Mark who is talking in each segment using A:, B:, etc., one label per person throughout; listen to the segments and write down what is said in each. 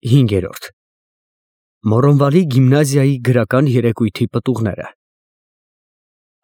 A: 5։ Մորոնվալի գիմնազիայի գրական երեկույթի պտուղները։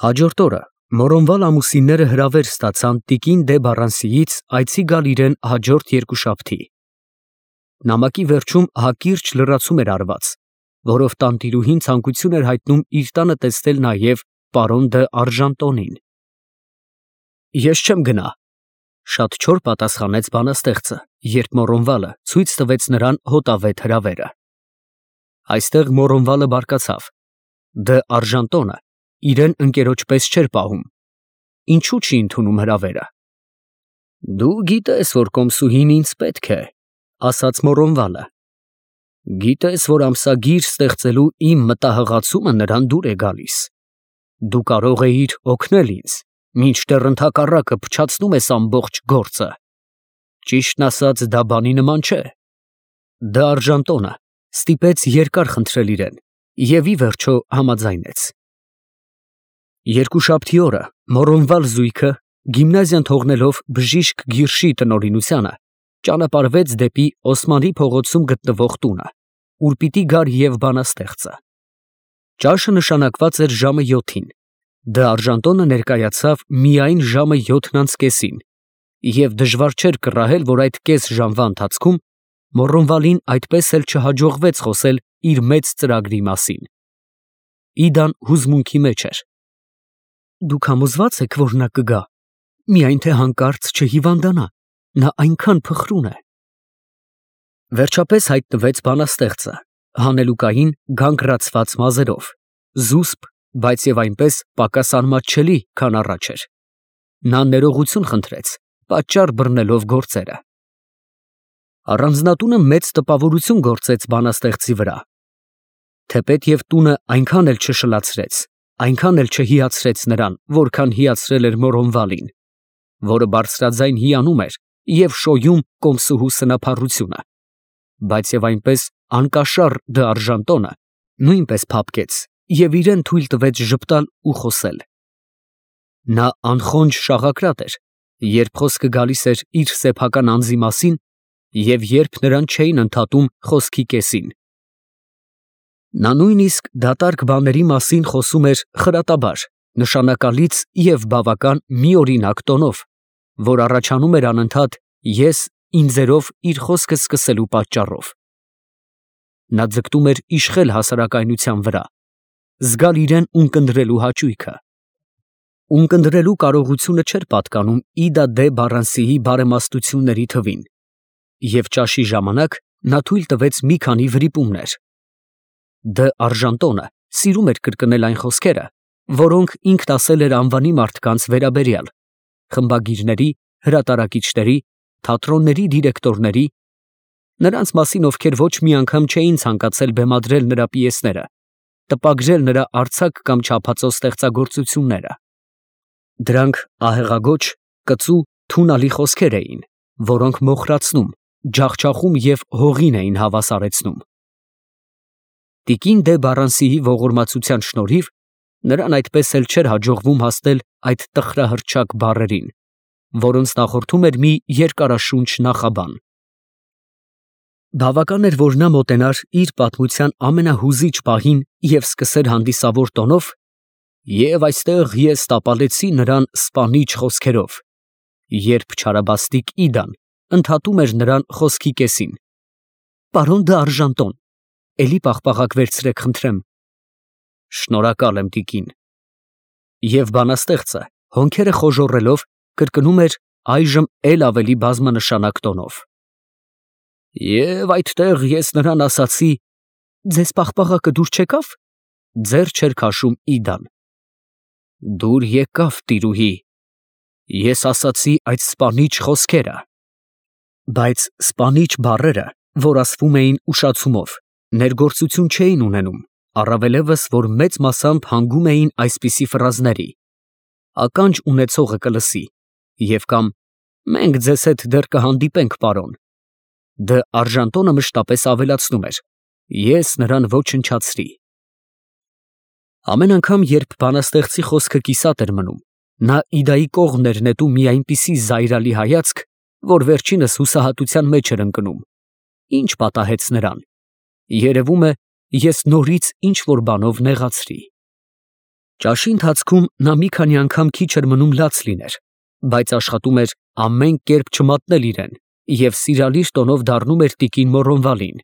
A: Հաջորդ օրը Մորոնվալ ամուսինները հրավեր ստացան տիկին դե Բառանսիից այցի գալ իրեն հաջորդ երկուշաբթի։ Նամակի վերջում հակիրճ լրացում էր արված, որով տանտիրուհին ցանկություն էր հայտնում իր տանը տեսնել նաև պարոն դը Արժանտոնին։ Ես չեմ գնա, շատ չոր պատասխանեց բանաստեղծը, երբ Մորոնվալը ցույց տվեց նրան հոտավետ հրավերը։ Այստեղ Մորոնվալը բարկացավ։ Դը Արժանտոնը իրեն ընկերոջպես չէր պահում։ Ինչու չի ընդունում հրավերը։ Դու գիտես, որ կոմսուհին ինձ պետք է, ասաց Մորոնվալը։ Գիտես, որ ամսագիր ստեղծելու իմ մտահղացումը նրան դուր է գալիս։ Դու կարող էիր օգնել ինձ, մինչդեռ ընդհակառակը փչացնում ես ամբողջ գործը։ Ճիշտն ասած, դա բանի նման չէ։ Դը Արժանտոնը ստիպեց երկար խնդրել իրեն և ի վերջո համաձայնեց։ Երկուշաբթի օրը Մորոնվալ զույգը, գիմնազիան թողնելով բժիշկ Գիրշի տնօրինությանը, ճանապարհվեց դեպի Օսմանի փողոցում գտնվող տունը, ուր պիտի գար և բանաստեղծը։ Ճաշը նշանակված էր ժամը 7-ին։ Դը Արժանտոնը ներկայացավ միայն ժամը 7:30-ին, և դժվար չէր կռահել, որ այդ կես ժամվա ընթացքում Մորոնվալին այդպես էլ չհաջողվեց խոսել իր մեծ ծրագրի մասին։ Իդան հուզմունքի մեջ էր։ Դուք համոզվա՞ծ եք, որ նա կգա, միայն թե հանկարծ չհիվանդանա, նա այնքան փխրուն է։ Վերջապես հայտնվեց բանաստեղծը, հանելուկային գանգրացված մազերով, զուսպ, բայց և այնպես պակաս անմատչելի, քան առաջ էր։ Նա ներողություն խնդրեց, պատճառ բռնելով գործերը։ Առանձնատունը մեծ տպավորություն գործեց բանաստեղծի վրա։ Թեպետև տունը այնքան էլ չշլացրեց, այնքան էլ չհիացրեց նրան, որքան հիացրել էր Մորոնվալին, որը բարձրաձայն հիանում էր և շոյում կոմսուհու սնափառությունը, բայց և այնպես անկաշառ դը Արժանտոնը նույնպես փափկեց և իրեն թույլ տվեց ժպտալ ու խոսել։ Նա անխոնջ շաղակրատ էր, երբ խոսքը գալիս էր իր սեփական անձի մասին և երբ նրան չէին ընդհատում խոսքի կեսին։ Նա նույնիսկ դատարկ բաների մասին խոսում էր խրատաբար, նշանակալից և բավական միօրինակ տոնով, որ առաջանում էր անընդհատ ես-ինձերով իր խոսքը սկսելու պատճառով։ Նա ձգտում էր իշխել հասարակայնության վրա, զգալ իրեն ունկնդրելու հաճույքը։ Ունկնդրելու կարողությունը չէր պատկանում Իդա դե Բառանսիի բարեմաստությունների թվին, և ճաշի ժամանակ նա թույլ տվեց մի քանի վրիպումներ։ Դը Արժանտոնը սիրում էր կրկնել այն խոսքերը, որոնք ինքն ասել էր անվանի մարդկանց վերաբերյալ, խմբագիրների, հրատարակիչների, թատրոնների դիրեկտորների, նրանց մասին, ովքեր ոչ մի անգամ չէին ցանկացել բեմադրել նրա պիեսները, տպագրել նրա արձակ կամ չափածո ստեղծագործությունները։ Դրանք ահեղագոչ, կծու, թունալի խոսքեր էին, որոնք մոխրացնում, ջախջախում և հողին էին հավասարեցնում։ Տիկին դե Բառանսիի ողորմածության շնորհիվ նրան այդպես էլ չէր հաջողվում հասնել այդ տխրահռչակ բառերին, որոնց նախորդում էր մի երկարաշունչ նախաբան։ Բավական էր, որ նա մոտենար իր պատմության ամենահուզիչ պահին և սկսեր հանդիսավոր տոնով. «Եվ այստեղ ես տապալեցի նրան սպանիչ խոսքերով», երբ չարաբաստիկ Իդան ընդհատում էր նրան խոսքի կեսին. «Պարոն դը Արժանտոն, էլի պաղպաղակ վերցրեք, խնդրեմ»։ Շնորհակալ եմ, տիկին։ Եվ բանաստեղծը, հոնքերը խոժոռելով, կրկնում էր այժմ էլ ավելի բազմանշանակ տոնով. «Եվ այդտեղ ես նրան ասացի. ձեզ պաղպաղակը դուր չեկավ»։ Ձեռ չէր քաշում Իդան։ Դուր եկավ, տիրուհի։ Ես ասացի այդ սպանիչ խոսքերը։ Բայց սպանիչ բառերը, որ ասվում էին ուշացումով, ներգործություն չէին ունենում, առավելևս, որ մեծ մասամբ հանգում էին այսպիսի ֆրազների. ականջ ունեցողը կլսի, և կամ մենք ձեզ հետ դեռ կհանդիպենք, պարոն։ Դը Արժանտոնը մշտապես ավելացնում էր. ես նրան ոչնչացրի։ Ամեն անգամ, երբ բանաստեղծի խոսքը կիսատ էր մնում, նա Իդայի կողմն էր նետում մի այնպիսի զայրալի հայացք, որ վերջինս հուսահատության մեջ էր ընկնում, Ինչ պատահեց նրան։ Երևում է, ես նորից ինչ-որ բանով նեղացրի։ Ճաշի ընթացքում նա մի քանի անգամ քիչ էր մնում լաց լիներ, բայց աշխատում էր ամեն կերպ չմատնել իրեն և սիրալիր տոնով դառնում էր տիկին Մոռոնվալին.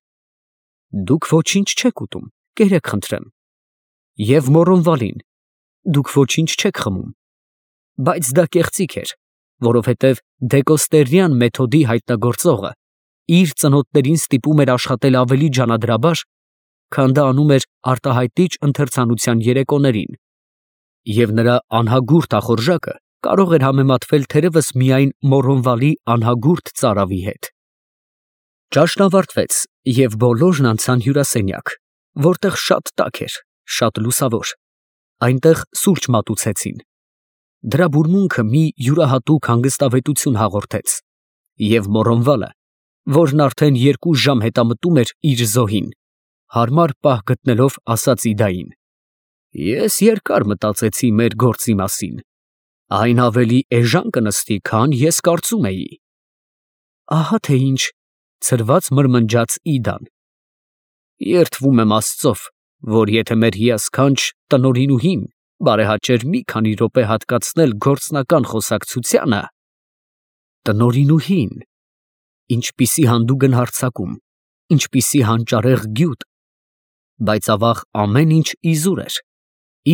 A: «Դուք ոչինչ չեք ուտում, կերեք խնդրեմ»։ Եվ Մոռոնվալին. «Դուք ոչինչ չեք խմում»։ Բայց դա կեղծիք էր, որովհետև դեկոստերյան մեթոդի հայտնագործողը իր ծնոտներին ստիպում էր աշխատել ավելի ջանադրաբար, քան դա անում էր արտահայտիչ ընթերցանության երեկոներին, և նրա անհագուրդ ախորժակը կարող էր համեմատվել թերևս միայն Մոռոնվալի անհագուրդ ծարավի հետ։ Ճաշն ավարտվեց, և բոլորն անցան հյուրասենյակ, որտեղ շատ տաք էր, շատ լուսավոր, այնտեղ սուրճ մատուցեցին։ Դրա բուրմունքը մի յուրահատուկ հանգստավետություն հաղորդեց, և Մոռոնվալը, որն արդեն 2 ժամ հետամտում էր իր զոհին, հարմար պահ գտնելով, ասաց Իդային. «Ես երկար մտածեցի մեր գործի մասին, այն ավելի էժան կնստի, քան ես կարծում էի»։ «Ահա թե ինչ», ցրված մրմնջաց Իդան։ «Երդվում եմ Աստծով, որ եթե մեր հիասքանչ տնօրինուհին բարեհաճեր մի քանի րոպե հատկացնել գործնական խոսակցությանը»։ Տնօրինուհին, ինչպիսի հանդուգն հարձակում, ինչպիսի հանճարեղ գյուտ, բայց ավաղ ամեն ինչ իզուր էր։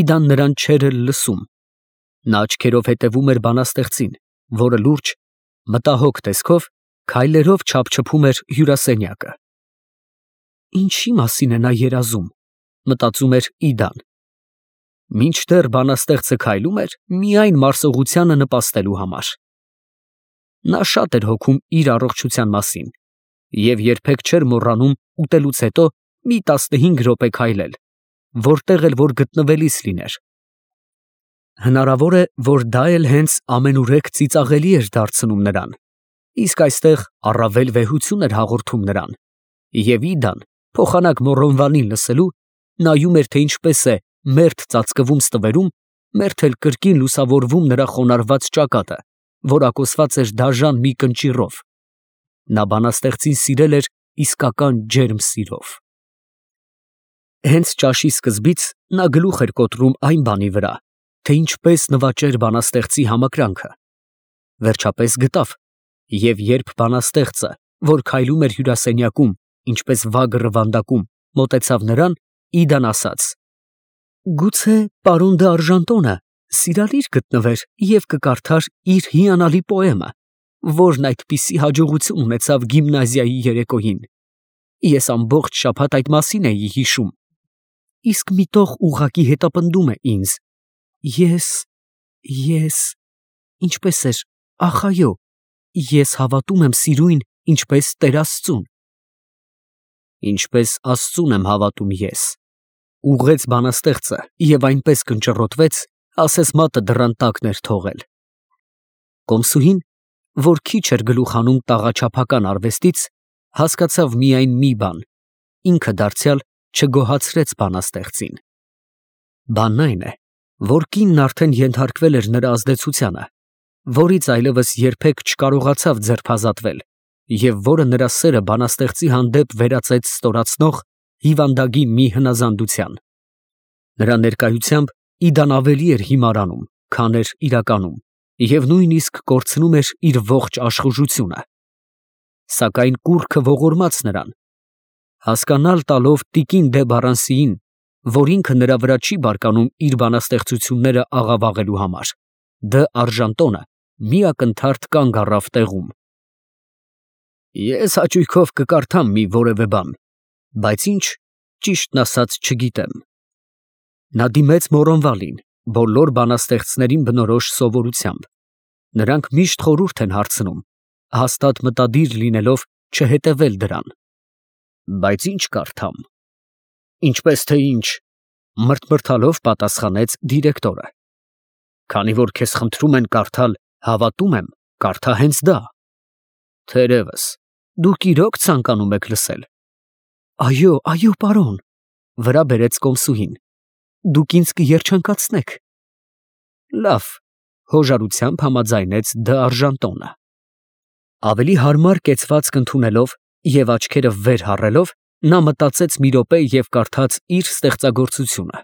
A: Իդան նրան չէր էլ լսում։ Նա աչքերով հետևում էր բանաստեղծին, որը լուրջ, մտահոգ տեսքով քայլերով չափչփում էր հյուրասենյակը։ Ինչի մասին է նա երազում, մտածում էր Իդան։ Մինչդեռ բանաստեղծը քայլում էր միայն մարսողությանը նպաստելու համար։ Նա շատ էր հոգում իր առողջության մասին և երբեք չէր մոռանում ուտելուց հետո մի 15 րոպե քայլել, որտեղ էլ որ գտնվելիս լիներ։ Հնարավոր է, որ դա էլ հենց ամենուրեք ծիծաղելի էր դարձնում նրան, իսկ այստեղ առավել վեհություն էր հաղորդում նրան, և Իդան, փոխանակ Մոռոնվալին լսելու, նայում էր, թե ինչպես է մերթ ծածկվում ստվերում, մերթ էլ կրկին լուսավորվում նրա խոնարհված ճակատը, որակոսված էր դաժան մի կնճիռով։ Նա բանաստեղծին սիրել էր իսկական ջերմ սիրով։ Հենց ճաշի սկզբից նա գլուխ էր կոտրում այն բանի վրա, թե ինչպես նվաճեր բանաստեղծի համակրանքը։ Վերջապես գտավ, և երբ բանաստեղծը, որ քայլում էր հյուրասենյակում, ինչպես վագը ռվանդակում, մոտեցավ նրան, Իդան ասաց. «Գուցե պարոն դ'Արժանտոնը սիրալիր գտնվեր և կկարդար իր հիանալի պոեմը, որն այդպիսի հաջողություն ունեցավ գիմնազիայի երեկոյին։ Ես ամբողջ շաբաթ այդ մասին էի հիշում։ Իսկ մի տող ուղղակի հետապնդում է ինձ։ Ես… ինչպես էր, ախ այո, ես հավատում եմ սիրույն, ինչպես Տեր Աստծուն»։ «Ինչպես Աստծուն եմ հավատում ես», ուղղեց բանաստեղծը և այնպես կնճռոտվեց, ասես մատը դռան տակն էր թողել։ Կոմսուհին, որ քիչ էր գլուխ հանում տաղաչափական արվեստից, հասկացավ միայն մի բան. ինքը դարձյալ չգոհացրեց բանաստեղծին։ Բանն այն է, որ կինն արդեն ենթարկվել էր նրա ազդեցությանը, որից այլևս երբեք չկարողացավ ձերբազատվել, և որը նրա սերը բանաստեղծի հանդեպ վերածեց ստորացնող հիվանդագին մի հնազանդության։ Նրա ներկայությամբ Իդան ավելի էր հիմարանում, քան էր իրականում, և նույնիսկ կորցնում էր իր ողջ աշխուժությունը։ Սակայն կուռքը ողորմաց նրան։ Հասկանալ տալով տիկին դե Բարանսիին, որ ինքը նրա վրա չի բարկանում իր բանաստեղծությունները աղավաղելու համար, դ'Արժանտոնը մի ակնթարթ կանգ առավ տեղում։ «Ես հաճույքով կկարդամ մի որևէ բան, բայց ինչ, ճիշտն ասած, չգիտեմ»։ Նա դիմեց Մոռոնվալին, բոլոր բանաստեղծներին բնորոշ սովորությամբ։ Նրանք միշտ խորհուրդ են հարցնում, հաստատ մտադիր լինելով չհետևել դրան։ «Բայց ինչ կարդամ»։ «Ինչպես թե ինչ», մրթմրթալով պատասխանեց դիրեկտորը։ «Քանի որ քեզ խնդրում են կարդալ, հավատում եմ, կարդա հենց դա»։ «Թերևս, դուք իրոք ցանկանում եք լսել»։ Այո, պարոն, վրա բերեց կոմսուհին։ Դուք ինձ կերջանկացնեք։ Լավ, հոժարությամբ համաձայնեց դ'Արժանտոնը։ Ավելի հարմար կեցվածք ընդունելով, Եվ աչքերը վեր հառելով, նա մտածեց մի րոպե և կարդաց իր ստեղծագործությունը։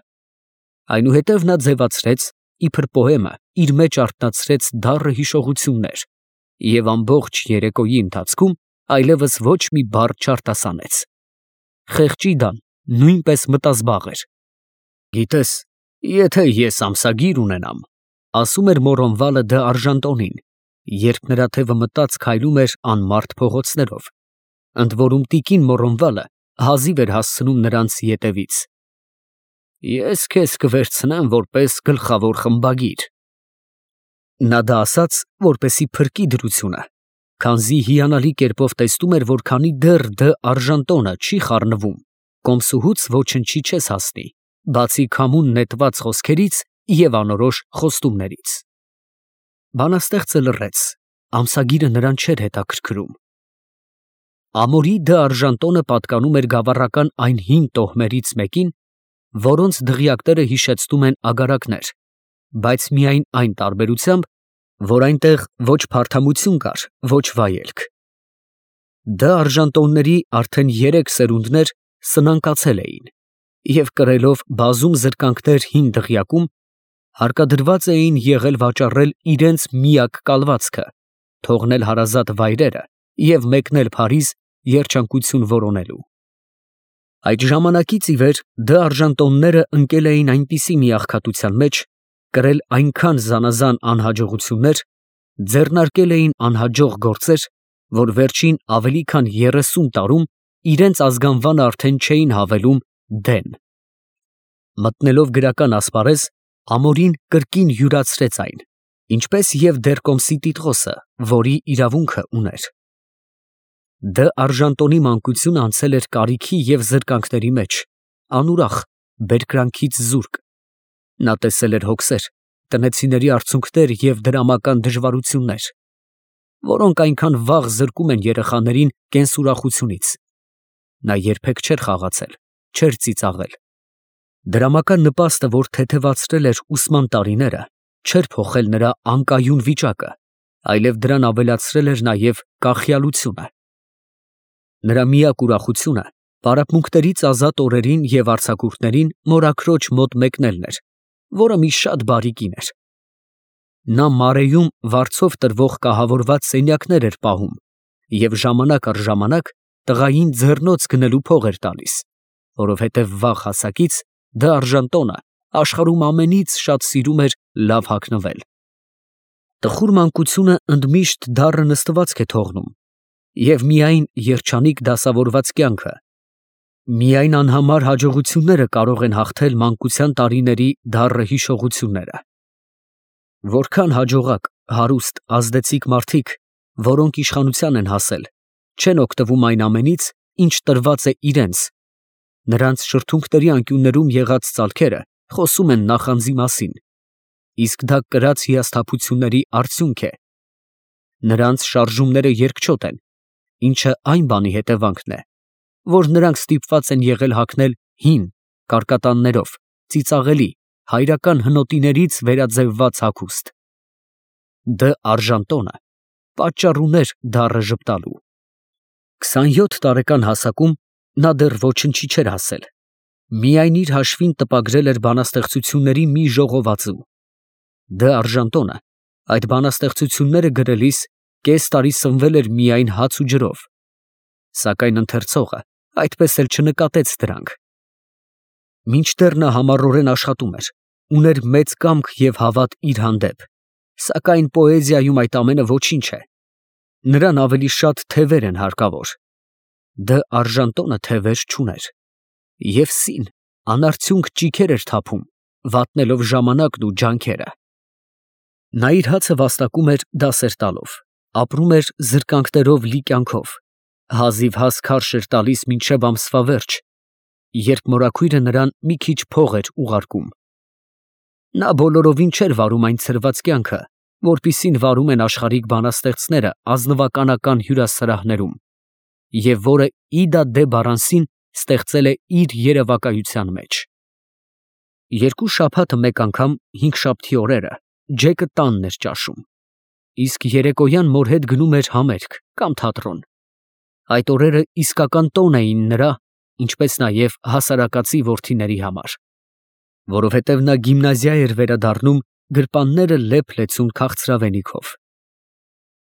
A: Այնուհետև նա ձևացրեց, իբր պոեմը, իր մեջ արթնացրեց դառը հիշողություններ, և ամբողջ երեկոյի ընթացքում այլևս ոչ մի բառ չարտասանեց։ Խեղճի Դան նույնպես մտազբաղ էր։ «Գիտես, եթե ես ամսագիր ունենամ», ասում էր Մորոնվալը դը Արժանտոնին, երբ նրա թևը մտած քայլում էր անմարդ փողոցներով, ընդ որում տիկին Մորոնվալը հազիվ էր հասցնում նրանց ետևից։ «Ես քեզ կվերցնեմ որպես գլխավոր խմբագիր»։ Նա դա ասաց, որպեսի փրկի դրությունը, քանզի հիանալի կերպով տեսնում էր, որ քանի դեռ դը Արժանտոնը չի խառնվում, կոմսուհուց ոչնչի չես հասնի, բացի քամուն նետված խոսքերից և անորոշ խոստումներից։ Բանաստեղծը լռեց, ամսագիրը նրան չէր հետաքրքրում։ Ամորի դը Արժանտոնը պատկանում էր գավառական այն հին տոհմերից մեկին, որոնց դղյակները հիշեցնում են ագարակներ, բայց միայն այն տարբերությամբ, որ այնտեղ ոչ փարթամություն կար, ոչ վայելք։ Դը Արժանտոնների արդեն 3 սերունդներ սնանկացել էին և կրելով բազում զրկանքներ հին դղյակում, հարկադրված էին եղել վաճառել իրենց միակ կալվածքը, թողնել հարազատ վայրերը և մեկնել Փարիզ երջանկություն որոնելու։ Այդ ժամանակից ի վեր դը Արժանտոնները ընկել էին այնպիսի մի աղքատության մեջ, կրել այնքան զանազան անհաջողություններ, ձեռնարկել էին անհաջող գործեր, որ վերջին ավելի քան 30 տարում իրենց ազգանվանը արդեն չէին հավելում դեն։ Մտնելով գրական ասպարեզ, Ամորին կրկին յուրացրեց այն, ինչպես և Դերկոմսի Տիտղոսը, որի իրավունքը ուներ։ Դը Արժանտոնի մանկությունը անցել էր կարիքի և զրկանքների մեջ, անուրախ, բերկրանքից զուրկ։ Նա տեսել էր հոգսեր, տնեցիների արցունքներ և դրամական դժվարություններ, որոնք այնքան վաղ զրկում են երեխաներին կենսուրախությունից։ Նա երբեք չէր խաղացել, չէր ծիծաղել։ Դրամական նպաստը, որ թեթևացրել էր ուսման տարիները, չէր փոխել նրա անկայուն վիճակը, այլև դրան ավելացրել էր նաև կախյալությունը։ Նրա միակ ուրախությունը պարապմունքներից ազատ օրերին և արձակուրդներին մորաքրոջ մոտ մեկնելն էր, որը մի շատ բարի կին էր։ Նա Մարեում վարձով տրվող կահավորված սենյակներ էր պահում և ժամանակ առ ժամանակ տղային ձեռնոց գնելու փող էր տալիս, որովհետև վաղ հասակից դը Արժանտոնը աշխարհում ամենից շատ սիրում էր լավ հագնվել։ Տխուր մանկությունը ընդմիշտ դառը նստվածք է թողնում, և միայն երջանիկ դասավորված կյանքը, միայն անհամար հաջողությունները կարող են հաղթել մանկության տարիների դառը հիշողությունները։ Որքան հաջողակ, հարուստ, ազդեցիկ մարդիկ, որոնք իշխանության են հասել, չեն օգտվում այն ամենից, ինչ տրված է իրենց, նրանց շրթունքների անկյուններում եղած ծալքերը խոսում են նախանձի մասին, իսկ դա կրած հիասթափությունների արդյունք է։ Նրանց շարժումները երկչոտ են, ինչը այն բանի հետևանքն է, որ նրանք ստիպված են եղել հագնել հին, կարկատաններով, ծիծաղելի, հայրական հնոտիներից վերաձևված հագուստ։ Դը Արժանտոնը պատճառ ուներ դառը ժպտալու։ 27 տարեկան հասակում նա դեռ ոչնչի չէր հասել, միայն իր հաշվին տպագրել էր բանաստեղծությունների մի ժողովածու։ Դը Արժանտոնը այդ բանաստեղծությունները գրելիս կես տարի սնվել էր միայն հաց ու ջրով, սակայն ընթերցողը այդպես էլ չնկատեց դրանք։ Մինչդեռ նա համառորեն աշխատում էր, ուներ մեծ կամք և հավատ իր հանդեպ, սակայն պոեզիայում այդ ամենը ոչինչ է, նրան ավելի շատ թևեր են հարկավոր։ Դը Արժանտոնը թևեր չուներ, և սին անարդյունք ճիգեր էր թափում, վատնելով ժամանակն ու ջանքերը։ Նա իր հացը վաստակում էր դասեր տալով, ապրում էր զրկանքներով լի կյանքով, հազիվ հաս քարշ էր տալիս մինչև ամսվա վերջ, երբ մորաքույրը նրան մի քիչ փող էր ուղարկում։ Նա բոլորովին չէր վարում այն ցրված կյանքը, որպիսին վարում են աշխարհիկ բանաստեղծները ազնվականական հյուրասրահներում, և որը Իդա դե Բարանսին ստեղծել է իր երևակայության մեջ։ 2 շաբաթը մեկ անգամ հինգշաբթի օրերը Ջեկը տանն էր ճաշում, իսկ երեկոյան մոր հետ գնում էր համերգ կամ թատրոն։ Այդ օրերը իսկական տոն էին նրա, ինչպես նաև հասարակացի որդիների համար, որովհետև նա գիմնազիա էր վերադառնում գրպանները լեփ-լեցուն քաղցրավենիքով։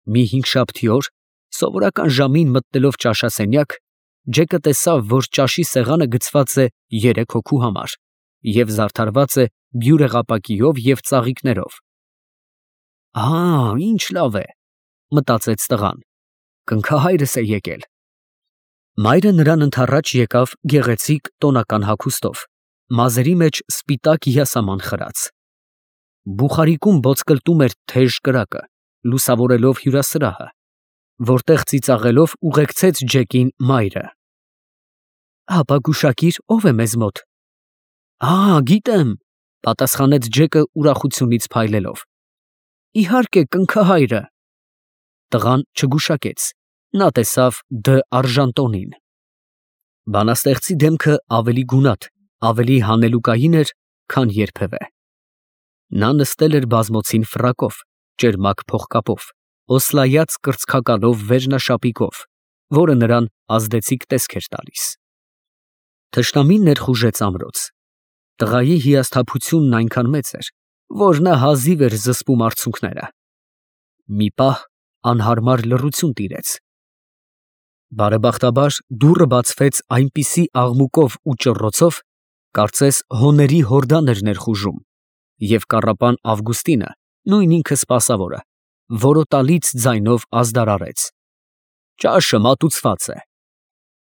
A: Մի հինգշաբթի օր, սովորական ժամին մտնելով ճաշասենյակ, Ջեկը տեսավ, որ ճաշի սեղանը գցված է 3 հոգու համար և զարդարված է բյուրեղապակիով և ծաղիկներով։ Ինչ լավ է, մտածեց տղան, կնքահայրս է եկել։ Մայրը նրան ընդառաջ եկավ գեղեցիկ տոնական հագուստով, մազերի մեջ սպիտակ յասաման խրած։ Բուխարիկում ոսկլտում էր թեժ կրակը, լուսավորելով հյուրասրահը, որտեղ ծիծաղելով ուղեկցեց Ջեկին մայրը։ Հապա գուշակիր, ով է մեզ մոտ։ Գիտեմ, պատասխանեց Ջեկը ուրախությունից փայլելով։ Իհարկե, կնքահայրը։ Տղան չգուշակեց, նա տեսավ Դ. Արժանտոնին։ Բանաստեղծի դեմքը ավելի գունատ, ավելի հանելուկային էր, քան երբևէ։ Նա նստել էր բազմոցին ֆրակով, ճերմակ փողկապով, օսլայած կրծքակալով վերնաշապիկով, որը նրան ազդեցիկ տեսք էր տալիս։ Թշնամին ներխուժեց ամրոց։ Տղայի հիասթափությունն այնքան մեծ էր, որ նա հազիվ էր զսպում արցունքները։ Մի պահ անհարմար լռություն տիրեց։ Բարեբախտաբար դուռը բացվեց այնպիսի աղմուկով ու ճռռոցով, կարծես հոների հորդան էր ներխուժում, և կառապան Ավգուստինը, նույն ինքը սպասավորը, որոտալից ձայնով ազդարարեց. Ճաշը մատուցված է։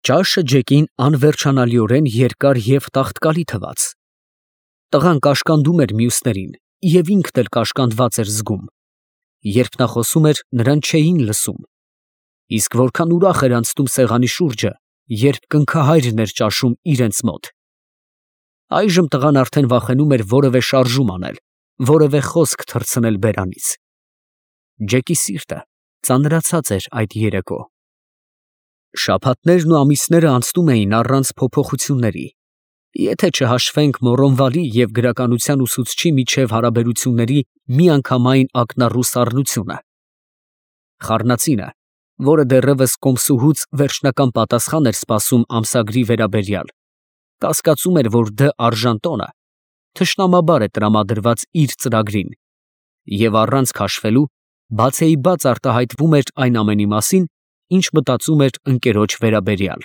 A: Ճաշը Ջեկին անվերջանալիորեն երկար և տաղտկալի թվաց։ Տղան կաշկանդում էր մյուսներին և ինքն էլ կաշկանդված էր զգում։ Երբ նա խոսում էր, նրան չէին լսում։ Իսկ որքան ուրախ էր անցնում սեղանի շուրջը, երբ կնքահայրն էր ճաշում իրենց մոտ։ Այժմ տղան արդեն վախենում էր որևէ շարժում անել, որևէ խոսք թռցնել բերանից։ Ջեկի սիրտը ծանրացած էր այդ երեկո։ Շաբաթներն ու ամիսները անցնում էին առանց փոփոխությունների, եթե չհաշվենք Մոռոնվալի և գրականության ուսուցչի միջև հարաբերությունների միանգամայն ակնառու սառնությունը։ Խառնածինը, որը դեռևս կոմսուհուց վերջնական պատասխան էր սպասում ամսագրի վերաբերյալ, կասկածում էր, որ Դ. Արժանտոնը թշնամաբար է տրամադրված իր ծրագրին և առանց քաշվելու բացեիբաց արտահայտվում էր այն ամենի մասին, ինչ մտածում էր ընկերոջ վերաբերյալ։